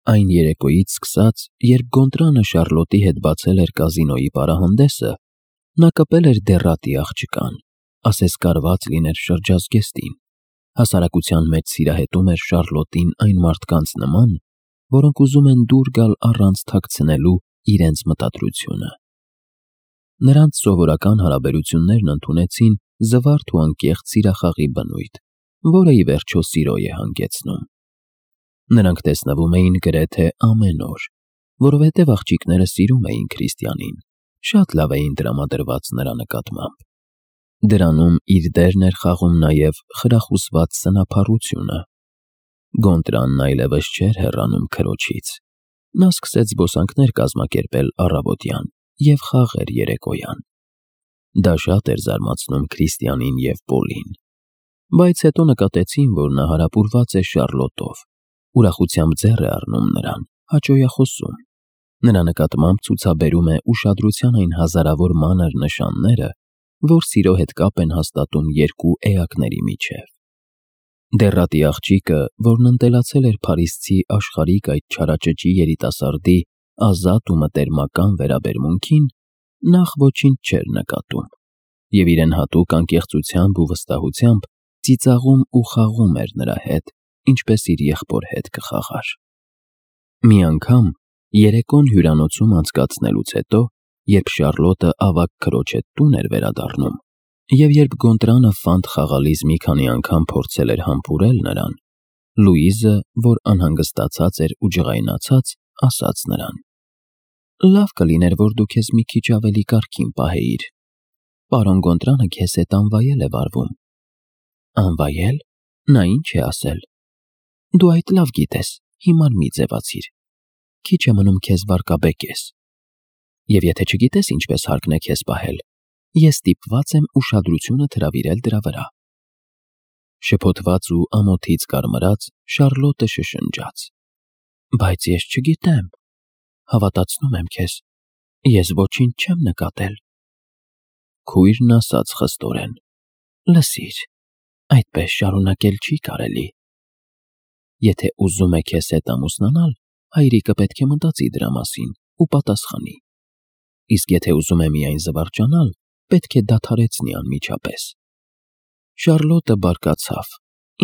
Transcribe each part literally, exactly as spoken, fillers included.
Այն երեկոյից սկսած, երբ Գոնտրանը Շառլոտի հետ բացել էր կազինոյի պարահանդեսը, նա կպել էր դեռատի աղջկան, ասես կարված լիներ շրջազգեստին, հասարակության մեջ սիրահետում էր Շառլոտին այն մարդկանց նման, որոնք ուզում են դուր գալ առանց թաքցնելու իրենց մտադրությունը։ Նրանց սովորական հարաբերություններն ընդունեցին զվարթ ու անկեղծ սիրախաղի բնույթ, որը ի վերջո սիրո է հանգեցնում։ Նրանք տեսնվում էին գրեթե ամեն օր, որովհետև աղջիկները սիրում էին Քրիստիանին, շատ լավ էին տրամադրված նրա նկատմամբ։ Դրանում իր դերն էր խաղում նաև խրախուսված սնափառությունը։ Գոնտրանն այլևս չէր հեռանում քրոջից։ Նա սկսեց զբոսանքներ կազմակերպել առավոտյան և խաղեր երեկոյան։ Դա շատ էր զարմացնում Քրիստիանին և Պոլին, բայց հետո նկատեցին, որ նա հարապուրված է Շառլոտով, ուրախությամբ ձեռ է առնում նրան, հաճոյախոսում։ Նրա նկատմամբ ցուցաբերում է ուշադրության այն հազարավոր մանր նշանները, որ սիրո հետ կապ են հաստատում երկու էակների միջև։ Դեռատի աղջիկը, որն ընտելացել էր փարիզցի աշխարհիկ այդ չարաճճի երիտասարդի ազատ ու մտերմական վերաբերմունքին, նախ ոչինչ չէր նկատում և իրեն հատուկ անկեղծությամբ ու վստահությամբ ծիծաղում ու խաղում էր նրա հետ, ինչպես իր եղբոր հետ կխաղար։ Մի անգամ, երեկոն հյուրանոցում անցկացնելուց հետո, երբ Շառլոտը ավագ քրոջ հետ տուն էր վերադառնում, և երբ Գոնտրանը ֆանտ խաղալիս մի քանի անգամ փորձել էր համբուրել նրան, Լուիզը, որ անհանգստացած էր ու ջղայնացած, ասաց նրան. «Լավ կլիներ, որ դու քեզ մի քիչ ավելի կարգին պահեիր։ Պարոն Գոնտրանը քեզ հետ անվայել է վարվում»։ «Անվայել։ Նա ինչ է ասել»։ «Դու այդ լավ գիտես, հիմար մի ձևացիր։ Քիչ է մնում քեզ վարկաբեկես։ Եվ եթե չգիտես ինչպես հարկն է քեզ պահել, ես ստիպված եմ ուշադրությունդ հրավիրել դրա վրա»։ Շփոթված ու ամոթից կարմրած, Շառլոտը շշնջաց. «Բայց ես չգիտեմ, հավատացնում եմ քեզ, ես ոչինչ չեմ նկատել»։ Քույրն ասաց խստորեն. «Լսիր, այդպես շարունակել չի կարելի։ Եթե ուզում է քեզ հետ ամուսնանալ, հայրիկը պետք է մտածի դրա մասին ու պատասխանի։ Իսկ եթե ուզում է միայն զվարճանալ, պետք է դադարեցնի անմիջապես»։ Շառլոտը բարկացավ,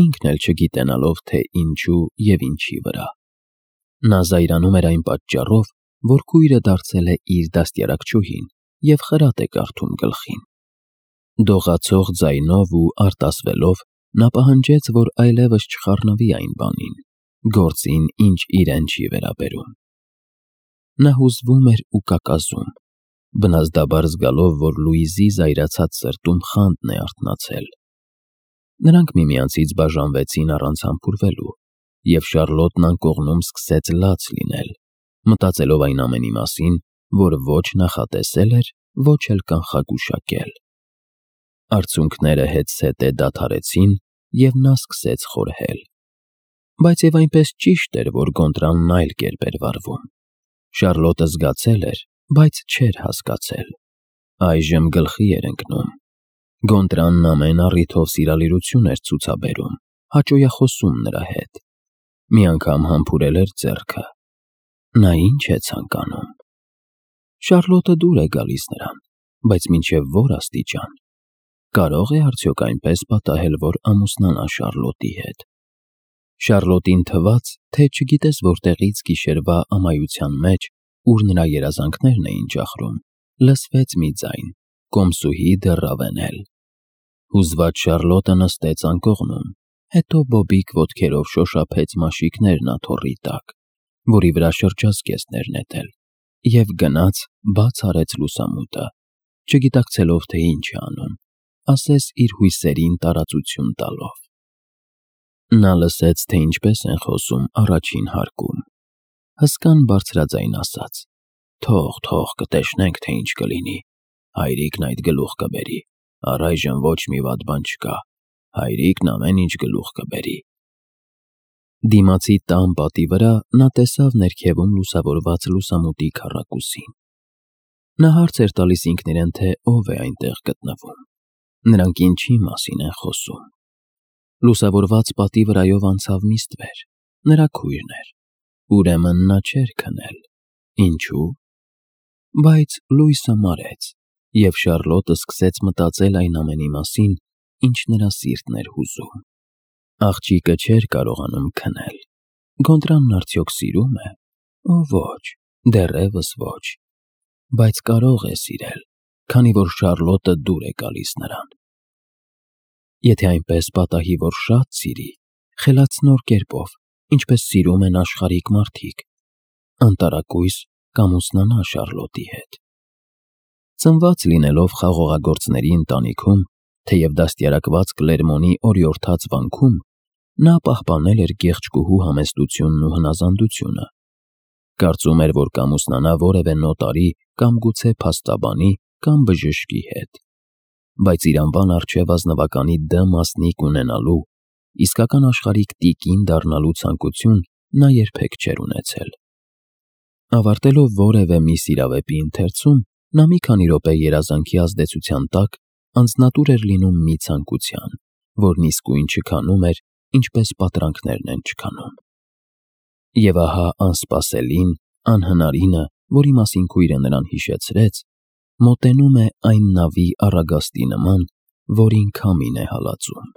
ինքն էլ չգիտենալով, թե ինչու և ինչի վրա։ Նա զայրանում էր այն պատճառով, որ քույրը դարձել է իր դաստիարակչուհին և խրատ է կարդում գլխին։ Դողացող ձայնով ու արտասվելով նա պահանջեց, որ այլևս չխառնվի այն բանին, գործին, ինչ իրեն չի վերաբերում։ Նա հուզվում էր ու կակազում, բնազդաբար զգալով, որ Լուիզի զայրացած սրտում խանդն է արթնացել։ Նրանք միմյանցից բաժանվեցին առանց համբուրվելու, և Շառլոտն անկողնում սկսեց լաց լինել, մտածելով այն ամենի մասին, որ ոչ նախատեսել էր, ոչ էլ կանխագուշակել։ Արցունքները հետզհետե դադարեցին, և նա սկսեց խորհել։ Բայց և այնպես ճիշտ էր, որ Գոնտրանն այլ կերպ էր վարվում։ Շառլոտը զգացել էր, բայց չէր հասկացել։ Այժմ գլխի էր ընկնում։ Գոնտրանն ամեն առիթով սիրալիրություն էր ցուցաբերում, հաճոյախոսում նրա հետ։ Մի անգամ համբուրել էր ձեռքը։ Նա ի՞նչ է ցանկանում։ Շառլոտը դուր է գալիս նրան, բայց մինչև ո՞ր աստիճան։ Կարո՞ղ է արդյոք այնպես պատահել, որ ամուսնանա Շառլոտի հետ։ Շառլոտին թվաց, թե չգիտես որտեղից գիշերվա ամայության մեջ, ուր նրա երազանքներն էին ճախրում, լսվեց մի ձայն, կոմսուհի դեռավենել։ Հուզված Շառլոտը նստեց անկողնում, հետո բոբիկ ոտքերով շոշափեց մաշիկներն աթոռի տակ, որի վրա շրջազգեստ էր նետել, և գնաց բաց արեց լուսամուտը, չգիտակցելով, թե ինչ է անում, ասես իր հույսերին տարածություն տալով։ Նա լսեց, թե ինչպես են խոսում առաջին հարկում։ Հսկան բարձրաձայն ասաց. «Թող, թող, կտեսնենք, թե ինչ կլինի։ Հայրիկն այդ գլուխ կբերի։ Առայժմ ոչ մի վատ բան չկա։ Հայրիկն ամեն ինչ գլուխ կբերի»։ Դիմացի տան պատի վրա նա տեսավ ներքևում լուսավորված լուսամուտի քառակուսին։ Նա հարց էր տալիս ինքն իրեն, թե ով է այնտեղ գտնվում։ Նրանք ինչի մասին են խոսում։ Լուսավորված պատի վրայով անցավ մի ստվեր, նրա քույրն էր։ Ուրեմն նա չէր քնել։ Ինչու՞։ Բայց լույսը մարեց, և Շառլոտը սկսեց մտածել այն ամենի մասին, ինչ նրա սիրտն էր հուզում։ Աղջիկը չէր կարողանում քնել։ Գոնդրանն արդյոք սիրում է։ Օ ոչ, դեռևս ոչ, բայց կարող է սիրել, քանի որ Շառլոտը դուր է գալիս նրան։ Եթե այնպես պատահի, որ շատ սիրի, խելացնոր կերպով, ինչպես սիրում են աշխարհիկ մարդիկ, անտարակույս կամուսնանա Շառլոտի հետ։ Ծնված լինելով խաղողագործների ընտանիքում, թեև դաստիարակված Կլերմոնի օրիորդաց վանքում, նա պահպանել էր գեղեցկուհու համեստությունն ու հնազանդությունը։ Կարծում էր, որ կամուսնանա որևէ նոտարի կամ գուցե փաստաբանի կամ բժշկի հետ։ Բայց իր անվան առջև ազնվականի Դ մասնիկ ունենալու, իսկական աշխարհիկ տիկին դառնալու ցանկություն նա երբեք չէր ունեցել։ Ավարտելով որևէ միս իրավեպի ընթերցում, նա մի քանի րոպե երազանքի ազդեցության տակ անձնատուր էր լինում մի ցանկության, որն իսկույն չքանում էր, ինչպես պատրանքներն են չքանում։ Եվ ահա անսպասելին, անհնարինը, որի մասին քույրը նրան հիշեցրեց, մոտենում է այն նավի առագաստի նման, որին քամին է հալածում։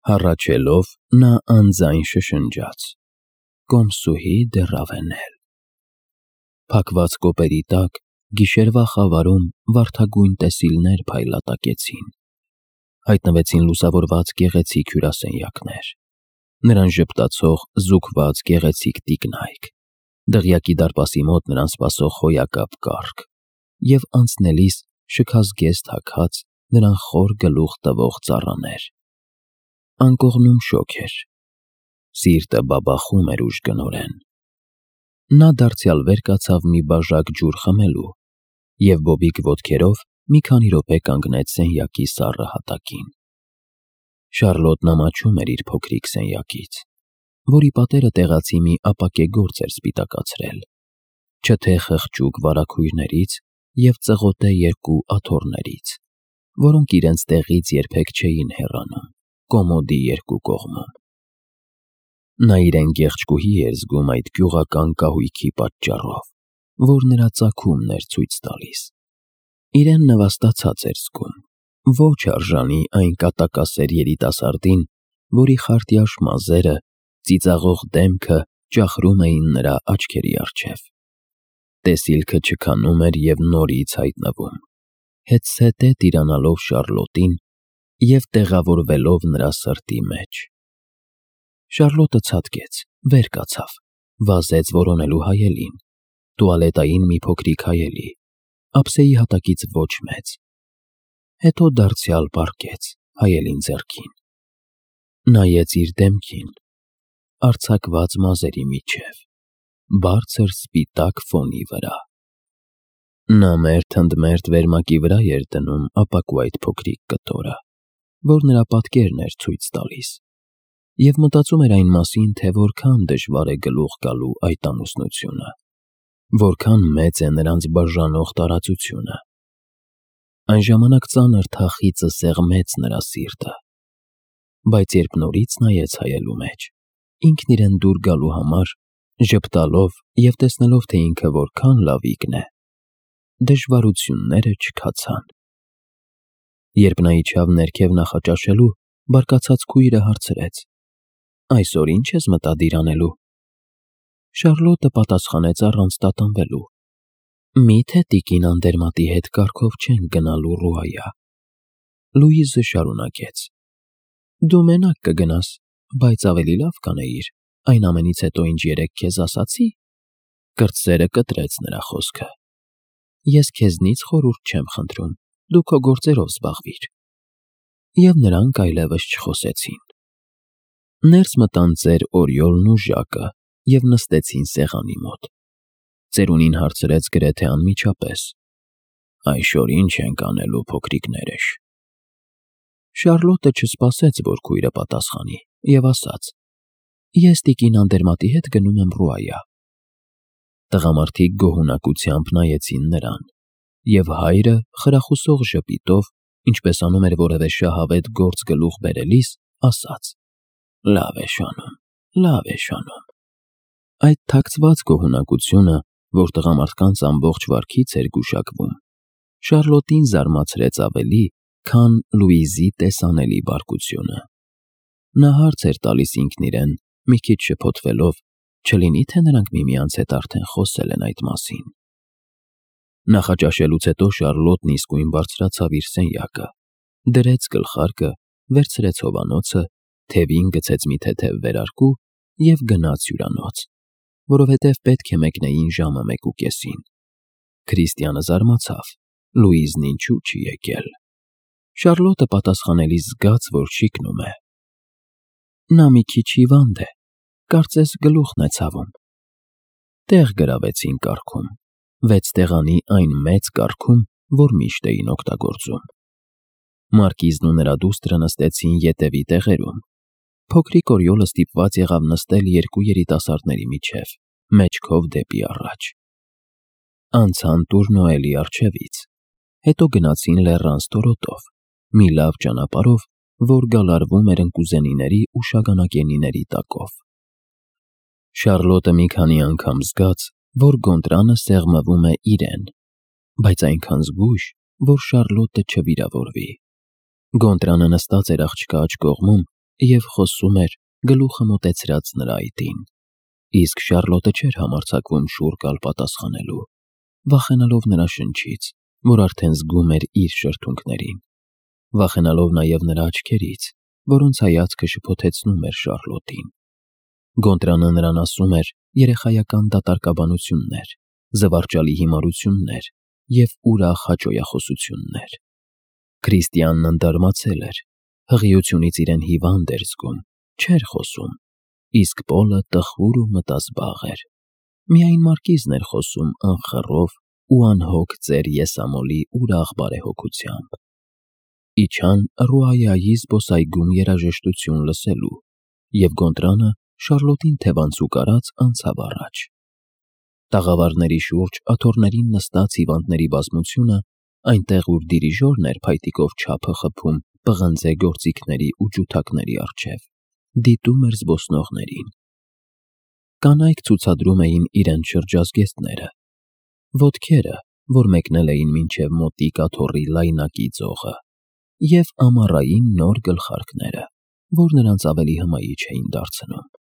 Հառաչելով, նա անձայն շշնջաց. «Կոմսուհի դե Ռավենել»։ Փակված կոպերի տակ գիշերվա խավարում վարդագույն տեսիլներ փայլատակեցին։ Հայտնվեցին լուսավորված գեղեցիկ հյուրասենյակներ, նրան ժպտացող զուգված գեղեցիկ տիկնայք, դղյակի դարպասի մոտ նրան սպասող հոյակապ կառք և անցնելիս շքազգեստ հագած, նրան խոր գլուխ տվող ծառաներ։ Անկողնում շոգ էր։ Սիրտը բաբախում էր ուժգնորեն։ Նա դարձյալ վեր կացավ մի բաժակ ջուր խմելու և բոբիկ ոտքերով մի քանի րոպե կանգնեց սենյակի սառը հատակին։ Շառլոտն ամաչում էր իր փոքրիկ սենյակից, որի պատերը տեղացի մի ապակե գործ էր սպիտակացրել, չթե խղճուկ վարագույրներից և ծղոտե երկու աթոռներից, որոնք իրենց տեղից երբեք չէին հեռանում կոմոդի երկու կողմում։ Նա իրեն գեղեցկուհի էր զգում այդ գյուղական կահույքի պատճառով, որ նրա ծագումն էր ցույց տալիս։ Իրեն նվաստացած էր զգում, ոչ արժանի այն կատակասեր երիտասարդին, որի խարտյաշ մազերը, ծիծաղող դեմքը ճախրում էին նրա աչքերի առջև։ Տեսիլքը չքանում էր և նորից հայտնվում, հետզհետե տիրանալով Շառլոտին և տեղավորվելով նրա սրտի մեջ։ Շառլոտը ցատկեց, վեր կացավ, վազեց որոնելու հայելին, տուալետային մի փոքրիկ հայելի, ափսեի հատակից ոչ մեծ, հետո դարձյալ պառկեց հայելին ձեռքին։ Նայեց իր դեմքին, արձակված մազերի միջև, բարձր սպիտակ ֆոնի վրա։ Նա մերթ ընդ մերթ վերմակի վրա էր դնում ապակու այդ փոքրիկ կտորը, որ նրա պատկերն էր ցույց տալիս, և մտածում էր այն մասին, թե որքան դժվար է գլուխ գալու այդ ամուսնությունը, որքան մեծ է նրանց բաժանող տարածությունը։ Այն ժամանակ ծանր թախիծը սեղմեց նրա սիրտը, բայց երբ նորից նայեց հայելու մեջ, ինքն իրեն դուր գալու համար, ժպտալով և տեսնելով, թե ինքը որքան լավիկն է, դժվարությունները չքացան։ Երբ նա իջավ ներքև նախաճաշելու, բարկացած քույրը հարցրեց. «Այսօր ի՞նչ ես մտադիր անելու»։ Շառլոտը պատասխանեց առանց տատանվելու. «Մի՞թե տիկին Անդերմատի հետ կառքով չենք գնալու Ռուայա»։ Լուիզը շարունակեց. «Դու մենակ կգնաս, բայց ավելի լավ կանեիր այն ամենից հետո, ինչ երեկ քեզ ասացի»։ Կրտսերը կտրեց նրա խոսքը։ «Ես քեզնից խորհուրդ չեմ խնդրում, դու քո գործերով զբաղվիր»։ Եվ նրանք այլևս չխոսեցին։ Ներս մտան ծեր Օրիոլն ու Ժակը և նստեցին սեղանի մոտ։ Ծերունին հարցրեց գրեթե անմիջապես. «Այսօր ի՞նչ ենք անելու, փոքրիկներս»։ Շառլոտը չսպասեց, որ քույրը պատասխանի, և ասաց. «Ես տիկին Անդերմատի հետ գնում եմ Ռուայա»։ Տղամարդիկ գոհունակությամբ նայեցին նրան, և հայրը խրախուսող ժպիտով, ինչպես անում էր որևէ շահավետ գործ գլուխ բերելիս, ասաց. «Լավ ես անում, լավ ես անում»։ Այդ թաքցված գոհունակությունը, որ տղամարդկանց ամբողջ վարքից էր գուշակվում, Շարլոտին զարմացրեց ավելի, քան Լուիզի տեսանելի բարկությունը։ Նա հարց էր տալիս ինքն իրեն, մի քիչ շփոթվելով, չլինի՞ թե նրանք միմյանց հետ արդեն խոսել են այդ մասին։ Նախաճաշելուց հետո Շարլոտն իսկույն բարձրացավ իր սենյակը, դրեց գլխարկը, վերցրեց հովանոցը, թևին գցեց մի թեթև վերարկու և գնաց հյուրանոց, որովհետև պետք է մեկնեին ժամը մեկուկեսին։ Քրիստիանը զարմացավ. Լուիզն ինչու չի եկել։ Շարլոտը պատասխանելիս զգաց, որ շիկնում է. Նա մի քիչ հիվանդ է, կարծես գլուխն է ցավում։ Տեղ գրավեցին կառքում, վեց տեղանի այն մեծ կառքում, որ միշտ էին օգտագործում։ Մարկիզն ու նրա դուստրը նստեցին ետևի տեղերում։ Փոքրիկ Օրիոլը ստիպված եղավ նստել երկու երիտասարդների միջև, մեջքով դեպի առաջ։ Անցան Տուրնոելի առջևից, հետո գնացին լեռան ստորոտով, մի լավ ճանապարհով, որ գալարվում էր ընկուզենիների ու շագանակենիների տակով։ Շարլոտը մի քանի անգամ զգաց, որ Գոնտրանը սեղմվում է իրեն, բայց այնքան զգույշ, որ Շարլոտը չվիրավորվի։ Գոնտրանը նստած էր աղջկա աջ կողմում և խոսում էր, գլուխը մոտեցրած նրա այտին, իսկ Շարլոտը չէր համարձակվում շուռ գալ պատասխանելու, վախենալով նրա շնչից, որ արդեն զգում էր իր շրթունքներին, վախենալով նաև նրա աչքերից, որոնց հայացքը շփոթեցնում էր Շարլոտին։ Գոնտրանը նրան ասում էր երեխայական դատարկաբանություններ, զվարճալի հիմարություններ և ուրախ հաճոյախոսություններ։ Քրիստիանն ընդարմացել էր, հղիությունից իրեն հիվանդ էր զգում, չէր խոսում, իսկ Պոլը տխուր ու մտազբաղ էր։ Միայն Մարկիզն էր խոսում անխռով ու անհոգ ծեր եսամոլի ուրախ բարեհոգությամբ։ Իջան Ռուայայի զբոսայգում երաժշտություն լսելու, և Գոնտրանը Շարլոտին թևանցուկ արած անցավ առաջ։ Տաղավարների շուրջ աթոռներին նստած հիվանդների բազմությունը, այնտեղ ուր դիրիժորն էր փայտիկով չափը խփում պղնձե գործիքների ու ջութակների առջև, դիտում էր զբոսնողներին։ Կանայք ցուցադրում էին իրենց շրջազգեստները, ոտքերը, որ մեկնել էին մինչև մոտիկ աթոռի լայնակի ձողը, և ամառային նոր գլխարկները, որ նրանց ավելի հմայիչ էին դարձնում։